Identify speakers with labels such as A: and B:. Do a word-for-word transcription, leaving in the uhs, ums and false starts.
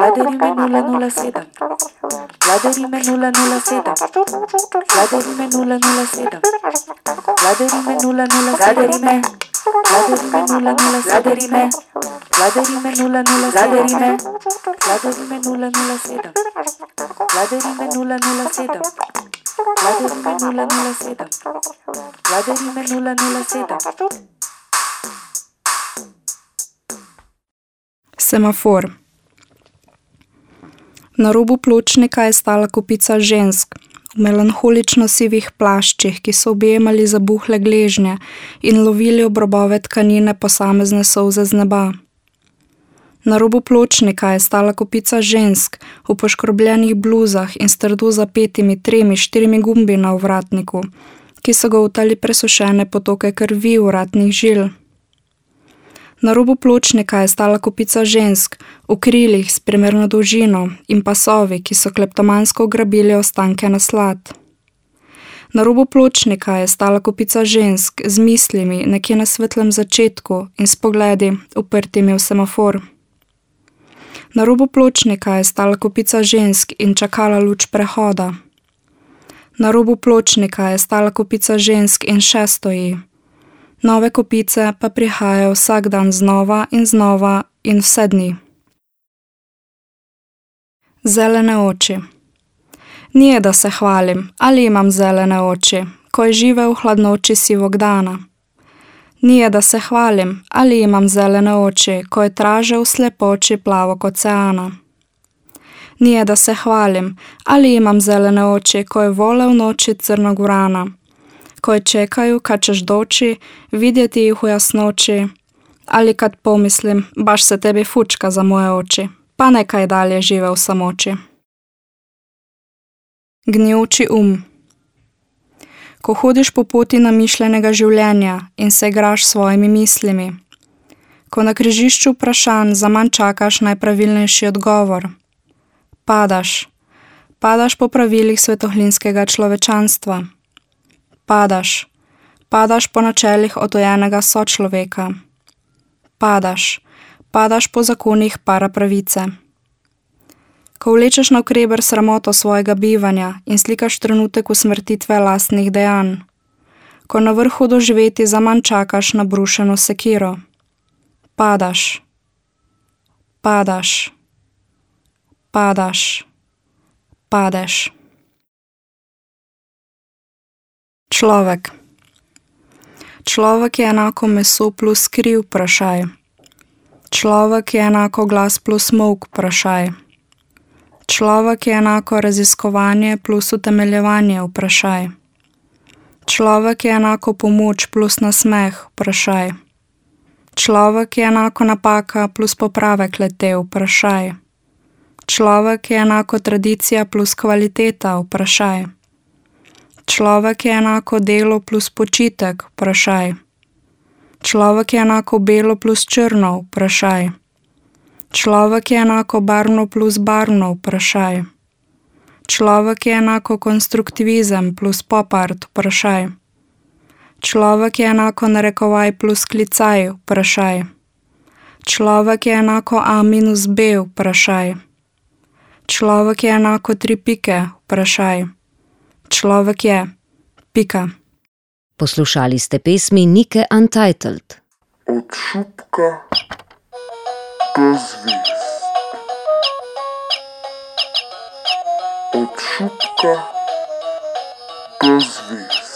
A: Vladarime nula nula sedem. Vladarime nula nula sedem. Vladarime nula nula sedem. Vladarime nula nula Vladarime. Vladarime nula nula Vladarime. Vladarime nula nula Vladarime. Vladarime nula nula sedem. Vladarime nula nula sedem. Vladarime nula nula sedem. Vladarime nula nula sedem.
B: Semafor. Na robu pločnika je stala kopica žensk v melanholično sivih plaščih, ki so objemali zabuhle gležnje in lovili ob robove tkanine posamezne solze z neba. Na robu pločnika je stala kopica žensk v poškrobljenih bluzah in s trdo zapetimi tremi, štirimi gumbi na ovratniku, ki so ga utali presušene potoke krvi vratnih žil. Na robu pločnika je stala kopica žensk v krilih s primerno dolžino in pasovi, ki so kleptomansko ugrabili ostanke naslad. Na robu pločnika je stala kopica žensk z mislimi nekje na svetlem začetku in s pogledi uprtimi v semafor. Na robu pločnika je stala kopica žensk in čakala luč prehoda. Na robu pločnika je stala kopica žensk in še stoji. Nove kopice pa prihajajo vsak dan znova in znova in vse dni. Zelene oči. Nije da se hvalim, ali imam zelene oči, ko je žive v hladnoči sivog dana. Nije da se hvalim, ali imam zelene oči, ko je traže v slepoči plavog oceana. Nije da se hvalim, ali imam zelene oči, ko je vole v noči crnog vrana, koje čekaju kad ćeš doći, vidjeti ih u jasnoći, ali kad pomislim, baš se tebi fučka za moje oči, pa neka i dalje žive u samoći. Gnjuči um. Ko hodiš po poti namišljenega življenja in se igraš s svojimi mislimi, ko na križišču vprašanj zaman čakaš najpravilnejši odgovor, padaš, padaš po pravilih svetohlinskega človečanstva, padaš, padaš po načelih otojenega sočloveka, padaš, padaš po zakonih parapravice. Ko vlečeš navkreber sramoto svojega bivanja in slikaš trenutek usmrtitve lastnih dejanj, ko na vrhu doživeti zaman čakaš na brušeno sekiro, padaš, padaš, padaš, padeš. Človek. Človek je enako meso plus kri, vprašaj. Človek je enako glas plus molk, vprašaj. Človek je enako raziskovanje plus utemeljevanje, vprašaj. Človek je enako pomoč plus nasmeh, vprašaj. Človek je enako napaka plus popravek lete, vprašaj. Človek je enako tradicija plus kvaliteta, vprašaj. Človek je enako delo plus počitek, vprašaj. Človek je enako belo plus črno, vprašaj. Človek je enako barvno plus barvno, vprašaj. Človek je enako konstruktivizem plus pop art, vprašaj. Človek je enako narekovaj plus klicaj, vprašaj. Človek je enako a minus b, vprašaj. Človek je enako tri pike, vprašaj. Človek je. Pika.
C: Poslušali ste pesmi Nike Untitled.
D: Od šupka do zvezd. Od šupka do zvezd.